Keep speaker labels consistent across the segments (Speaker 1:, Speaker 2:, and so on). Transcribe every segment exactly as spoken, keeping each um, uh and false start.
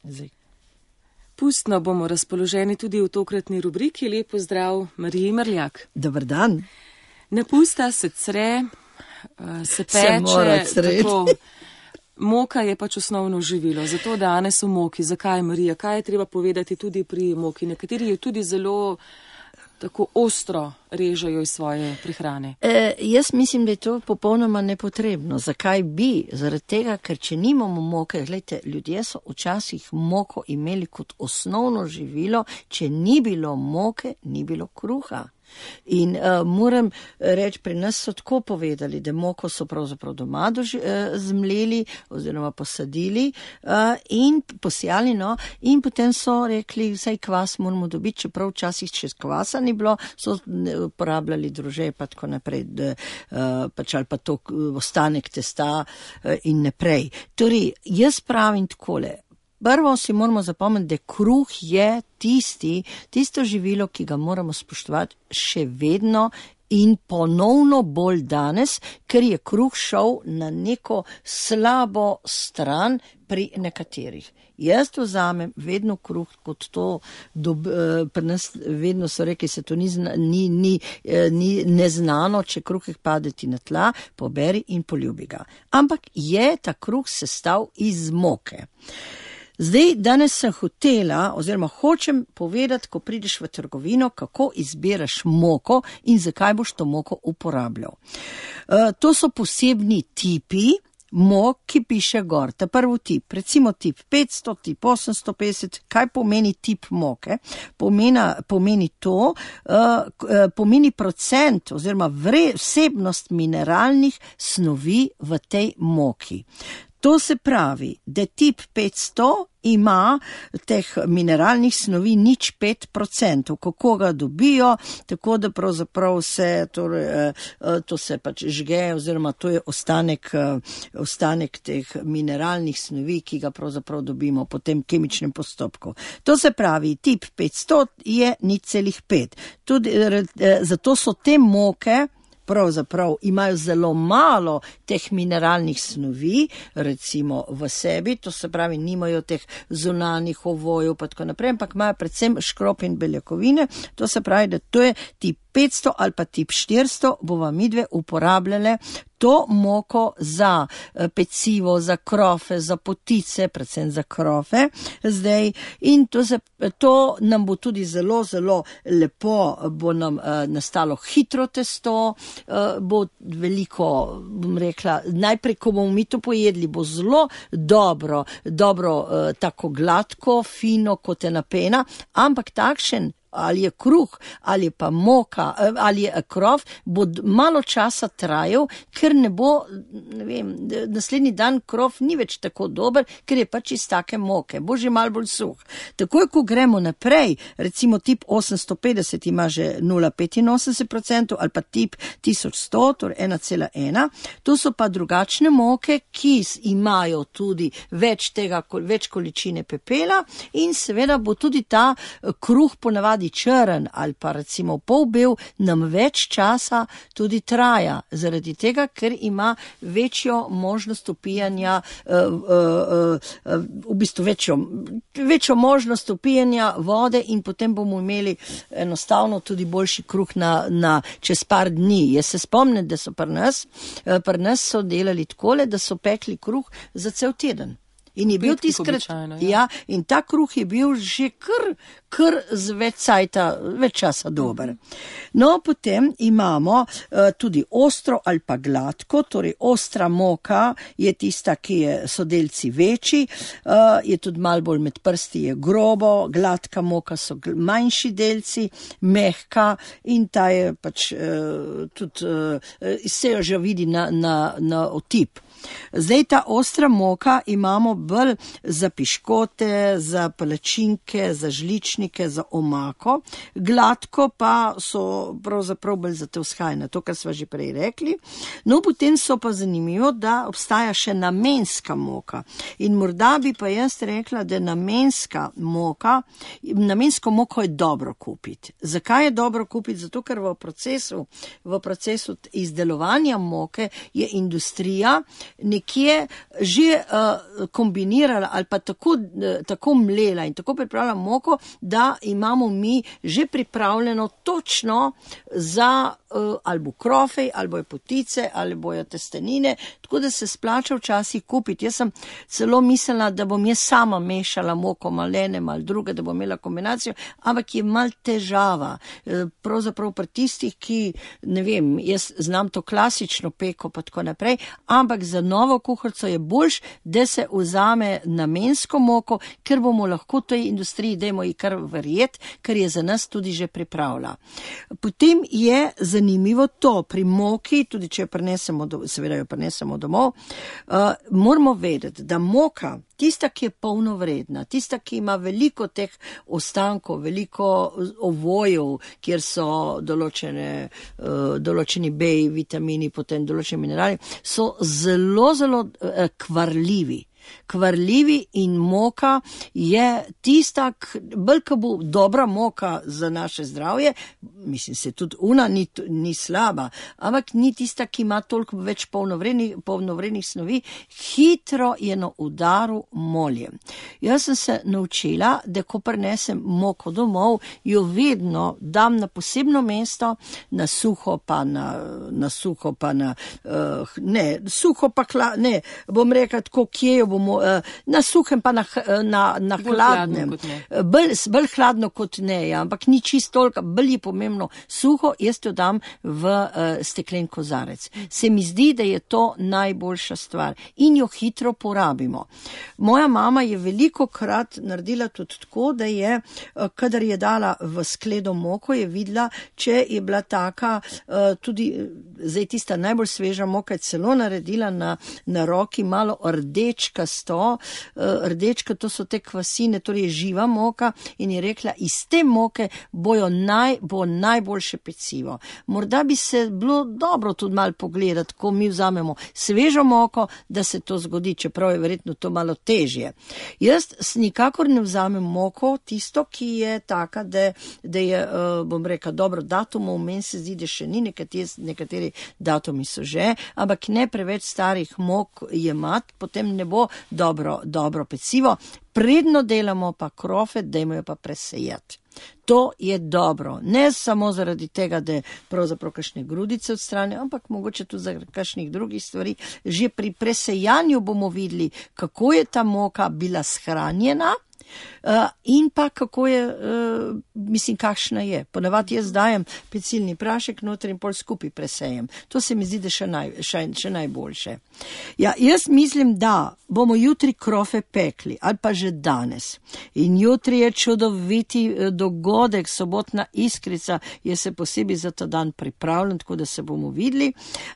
Speaker 1: Zdaj.
Speaker 2: Pustno bomo razpoloženi tudi v tokratni rubriki. Lep pozdrav Mariji Mrljak.
Speaker 1: Dobar dan.
Speaker 2: Ne pusta se cre, se peče,
Speaker 1: se
Speaker 2: tako. Moka je pač osnovno živilo, zato danes o moki. Zakaj, Marija? Kaj je treba povedati tudi pri moki? Nekateri jo tudi zelo tako ostro režejo iz svoje prehrane.
Speaker 1: E, jaz mislim, da je to popolnoma nepotrebno. Zakaj bi? Zaradi tega, ker če nimamo moke, gledajte, ljudje so včasih moko imeli kot osnovno živilo, če ni bilo moke, ni bilo kruha. In uh, moram reči, pri nas so tako povedali, da moko so pravzaprav doma doži, uh, zmleli oziroma posadili uh, in posijali, no, in potem so rekli, vsaj kvas moramo dobiti, čeprav včasih čez kvasa ni bilo, so uporabljali drože pa tako naprej, da, uh, pač ali pa to uh, ostanek testa uh, in naprej. Torej, jaz pravim takole. Prvo si moramo zapomniti, da kruh je tisti, tisto živilo, ki ga moramo spoštovati še vedno in ponovno bolj danes, ker je kruh šel na neko slabo stran pri nekaterih. Jaz to vzamem vedno kruh kot to, dob, pri nas vedno so rekli, se to ni, ni, ni, ni neznano, če kruh pade ti na tla, poberi in poljubi ga. Ampak je ta kruh sestav iz moke. Zdaj, danes sem hotela, oziroma hočem povedati, ko prideš v trgovino, kako izbiraš moko in zakaj boš to moko uporabljal. Uh, to so posebni tipi mok, ki piše gor. Ta prvi tip, recimo tip petsto, tip osemsto petdeset, kaj pomeni tip moke? Pomena, pomeni to, uh, pomeni procent oziroma vre, vsebnost mineralnih snovi v tej moki. To se pravi, da tip petsto ima teh mineralnih snovi nič pet procentov. Kako ga dobijo, tako da pravzaprav se, torej, to se pač žge, oziroma to je ostanek, ostanek teh mineralnih snovi, ki ga pravzaprav dobimo po tem kemičnem postopku. To se pravi, tip petsto je nič celih pet. Tudi, zato so te moke pravzaprav imajo zelo malo teh mineralnih snovi, recimo v sebi, to se pravi, nimajo teh zunanjih ovojev pa tako naprej, ampak imajo predvsem škrop in beljakovine, to se pravi, da to je tip petsto ali pa tip štiristo, bova midve uporabljale to moko za pecivo, za krofe, za potice, predvsem za krofe zdaj, in to, se, to nam bo tudi zelo, zelo lepo, bo nam uh, nastalo hitro testo, uh, bo veliko, bom rekla, najprej, ko bomo mi to pojedli, bo zelo dobro, dobro uh, tako gladko, fino, kot ena pena, ampak takšen, ali je kruh, ali je pa moka, ali je krof, bo malo časa trajal, ker ne bo, ne vem, naslednji dan krof ni več tako dober, ker je pač iz take moke, bo že malo bolj suh. Takoj, ko gremo naprej, recimo tip osemsto petdeset ima že nula celih petinosemdeset procentov ali pa tip tisoč sto, torej ena cela ena, to so pa drugačne moke, ki imajo tudi več tega, več količine pepela in seveda bo tudi ta kruh ponavadi črn ali pa recimo polbel nam več časa tudi traja, zaradi tega, ker ima večjo možnost upijanja, uh, uh, uh, v bistvu večjo, večjo možnost upijanja vode in potem bomo imeli enostavno tudi boljši kruh na, na čez par dni. Jaz se spomnim, da so pri nas, uh, pri nas so delali takole, da so pekli kruh za cel teden. In je bil tiskrat, ja. ja, in ta kruh je bil že kar, kar z več cajta, več časa dober. No, potem imamo uh, tudi ostro ali pa gladko, torej ostra moka je tista, ki je, so delci večji, uh, je tudi malo bolj med prsti, je grobo, gladka moka so manjši delci, mehka in ta je pač uh, tudi, uh, se jo že vidi na, na, na otip. Zdaj ta ostra moka imamo bolj za piškote, za palačinke, za žličnike, za omako, gladko pa so pravzaprav bolj za te vzhajne, to, kar sva že prej rekli. No, potem so pa zanimivo, da obstaja še namenska moka in morda bi pa jaz rekla, da namenska moka, namensko moko je dobro kupiti. Zakaj je dobro kupiti? Zato, ker v procesu, v procesu izdelovanja moke je industrija nekje že uh, kombinirala ali pa tako, uh, tako mlela in tako pripravila moko, da imamo mi že pripravljeno točno za uh, ali bo krofej, ali bojo potice, ali bojo testenine, tako da se splača včasih kupiti. Jaz sem celo mislila, da bom jaz sama mešala moko, malo ene, malo druge, da bom imela kombinacijo, ampak je mal težava. Pravzaprav pri tistih, ki, ne vem, jaz znam to klasično peko pa tako naprej, ampak za novo kuharico je boljš, da se vzame namensko moko, ker bomo lahko tej industriji, dajmo ji kar verjeti, ker je za nas tudi že pripravila. Potem je zanimivo to, pri moki, tudi če jo prinesemo, seveda jo prinesemo domov, uh, moramo vedeti, da moka, tista, ki je polnovredna, tista, ki ima veliko teh ostankov, veliko ovojev, kjer so določene, uh, določeni B, vitamini, potem določeni minerali, so zelo, zelo uh, kvarljivi. Kvarljivi in moka je tista, bolj ko bo dobra moka za naše zdravje, mislim se tudi una ni, ni slaba, ampak ni tista, ki ima toliko več polnovrednih, polnovrednih snovi, hitro je na udaru molje. Jaz sem se naučila, da ko prinesem moko domov, jo vedno dam na posebno mesto, na suho pa na, na suho pa na, uh, ne, suho pa kla, ne, bom rekla tako, kje jo bomo, na suhem pa na, na, na hladnem. Bolj, bolj hladno kot ne, ja, ampak ni čisto toliko, bolj je pomembno suho, jaz to dam v uh, steklen kozarec. Se mi zdi, da je to najboljša stvar in jo hitro porabimo. Moja mama je veliko krat naredila tudi tako, da je, uh, kadar je dala v skledo moko, je videla, če je bila taka, uh, tudi zdaj tista najbolj sveža moka je celo naredila na, na roki malo rdečka sto, rdečka, to so te kvasine, torej živa moka in je rekla, iz te moke bojo naj, bo najboljše pecivo. Morda bi se bilo dobro tudi malo pogledati, ko mi vzamemo svežo moko, da se to zgodi, čeprav je verjetno to malo težje. Jaz nikakor ne vzamem moko, tisto, ki je taka, da, da je, bom rekla, dobro datumov, meni se zdi, da še ni, nekateri, nekateri datumi so že, ampak ne preveč starih mok jemat, potem ne bo dobro, dobro pecivo. Predno delamo pa krofe, dajmo jo pa presejati. To je dobro, ne samo zaradi tega, da je pravzaprav kakšne grudice odstranijo, ampak mogoče tudi zaradi kakšnih drugih stvari. Že pri presejanju bomo videli, kako je ta moka bila shranjena, Uh, in pa kako je, uh, mislim, kakšna je. Ponavadi jaz dajem pecilni prašek noter in pol skupaj presejem. To se mi zdi, da še, naj, še, še najboljše. Ja, jaz mislim, da bomo jutri krofe pekli, ali pa že danes. In jutri je čudoviti dogodek, sobotna iskrica, je se posebej za ta dan pripravljen, tako da se bomo videli.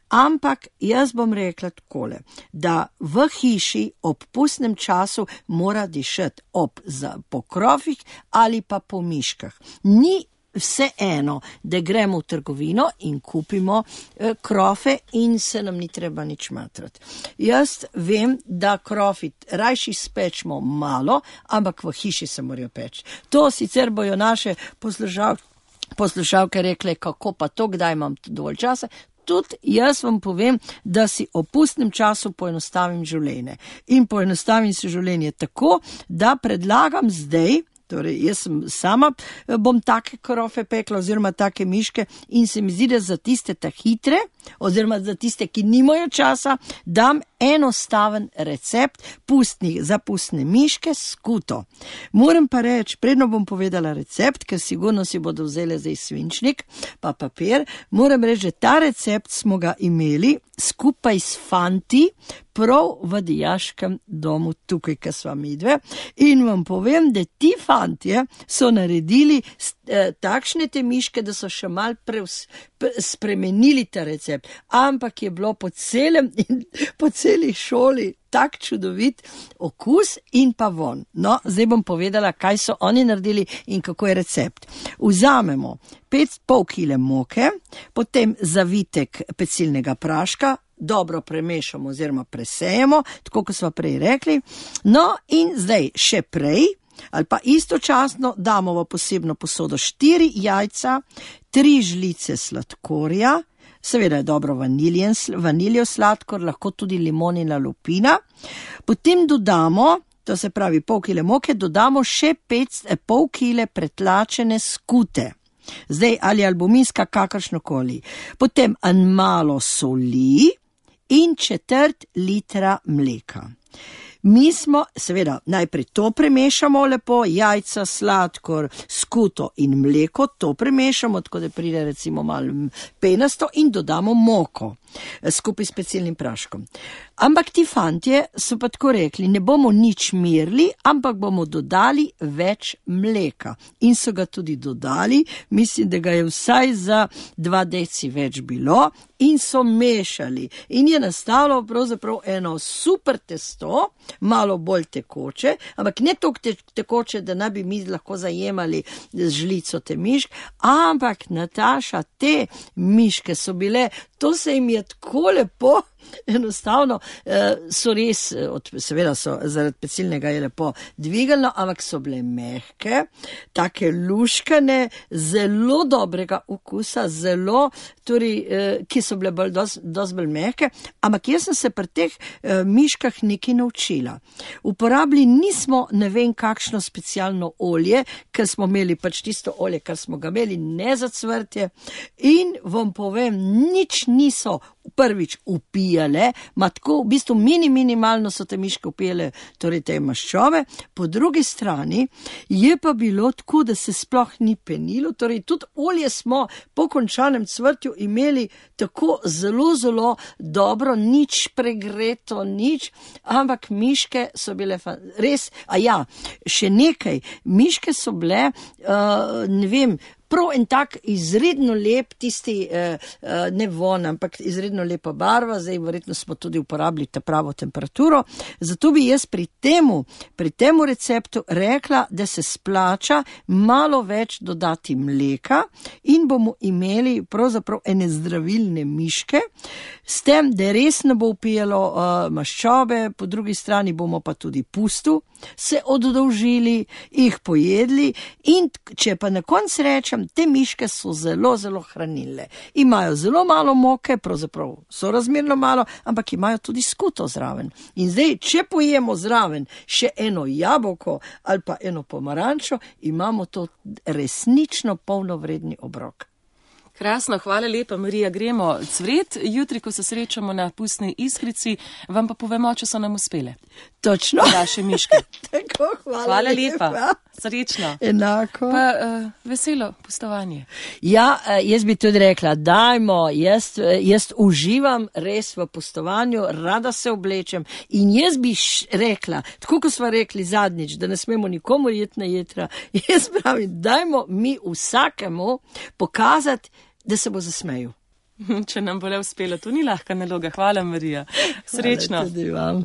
Speaker 1: Ampak jaz bom rekla takole, da v hiši ob pustnem času mora dišati ob za, po krofih ali pa po miškah. Ni vse eno, da gremo v trgovino in kupimo eh, krofe in se nam ni treba nič matrati. Jaz vem, da krofi rajši spečemo malo, ampak v hiši se morajo peči. To sicer bojo naše poslušalke, poslušalke rekle, kako pa to, kdaj imam dovolj časa. Tudi jaz vam povem, da si o pustnem času poenostavim življenje. In poenostavim si življenje tako, da predlagam zdaj, torej jaz sem sama, bom take krofe pekla oziroma take miške in se mi zdi, da za tiste ta hitre oziroma za tiste, ki nimajo časa, dam enostaven recept pustnih, za pustne miške s skuto. Moram pa reči, predno bom povedala recept, ker sigurno si bodo vzeli zdaj svinčnik pa papir, moram reči, že ta recept smo ga imeli skupaj s fanti prav v dijaškem domu tukaj, ko sva midve, in vam povem, da ti fantje so naredili eh, takšne te miške, da so še mal preus, pre, spremenili ta recept, ampak je bilo po celem in po celi šoli tak čudovit okus in pa von. No, zdaj bom povedala, kaj so oni naredili in kako je recept. Vzamemo pet pol kile moke, potem zavitek pecilnega praška, dobro premešamo oziroma presejemo, tako kot smo prej rekli. No in zdaj še prej, ali pa istočasno damo v posebno posodo štiri jajca, tri žlice sladkorja, seveda je dobro vaniljen, vaniljev sladkor, lahko tudi limonina lupina. Potem dodamo, to se pravi pol kile moke, dodamo še pet, pol kile pretlačene skute. Zdaj ali albuminska, kakršnokoli. Potem en malo soli in četrt litra mleka. Mi smo, seveda, najprej to premešamo lepo, jajca, sladkor, skuto in mleko, to premešamo, tako da pride recimo malo penasto in dodamo moko skupaj s specialnim praškom. Ampak ti fantje so pa tako rekli, ne bomo nič merili, ampak bomo dodali več mleka. In so ga tudi dodali, mislim, da ga je vsaj za dva deci več bilo in so mešali. In je nastalo pravzaprav eno super testo, malo bolj tekoče, ampak ne toliko te, tekoče, da ne bi mi lahko zajemali z žlico te mišk, ampak Nataša, te miške so bile, to se jim je tako lepo, enostavno so res, seveda so zaradi pecilnega je lepo dvigalno, ampak so bile mehke, take luškane, zelo dobrega okusa, zelo, torej, ki so bile bolj, dosti dos bolj mehke, ampak jaz sem se pri teh miškah nekaj naučila. Uporabili nismo ne vem kakšno specialno olje, ker smo imeli pač tisto olje, kar smo ga imeli, ne za cvrtje, in vam povem, nič niso prvič upijale, ma tako v bistvu mini minimalno so te miške upijale, torej te maščobe, po drugi strani je pa bilo tako, da se sploh ni penilo, torej tudi olje smo po končanem cvrtju imeli tako zelo, zelo dobro, nič pregreto, nič, ampak miške so bile res, a ja, še nekaj, miške so bile, uh, ne vem, prav en tak izredno lep, tisti, eh, ne von, ampak izredno lepa barva, zdaj verjetno smo tudi uporabili ta pravo temperaturo, zato bi jaz pri temu, pri temu receptu rekla, da se splača malo več dodati mleka in bomo imeli pravzaprav ene zdravilne miške, s tem, da res ne bo upijalo uh, maščobe, po drugi strani bomo pa tudi pustu se oddolžili, jih pojedli in če pa na koncu rečem, te miške so zelo, zelo hranilne. Imajo zelo malo moke, pravzaprav so razmerno malo, ampak imajo tudi skuto zraven. In zdaj, če pojemo zraven še eno jabolko ali pa eno pomarančo, imamo to resnično polnovredni obrok.
Speaker 2: Krasno, hvala lepa, Marija. Gremo cvret. Jutri, ko se srečamo na pustni iskrici, vam pa povemo, če so nam uspele.
Speaker 1: Točno.
Speaker 2: Vaše miške.
Speaker 1: Tako, hvala,
Speaker 2: hvala lepa.
Speaker 1: lepa.
Speaker 2: Srečno.
Speaker 1: Enako.
Speaker 2: Pa uh, veselo pustovanje.
Speaker 1: Ja, jaz bi tudi rekla, dajmo, jaz, jaz uživam res v pustovanju, rada se oblečem in jaz bi rekla, tako ko smo rekli zadnjič, da ne smemo nikomu jeti na jetra, jaz pravim, dajmo mi vsakemu pokazati, da se bo zasmejal.
Speaker 2: Če nam bo le uspelo, to ni lahka naloga. Hvala, Marija. Srečno.
Speaker 1: Hvala tudi vam.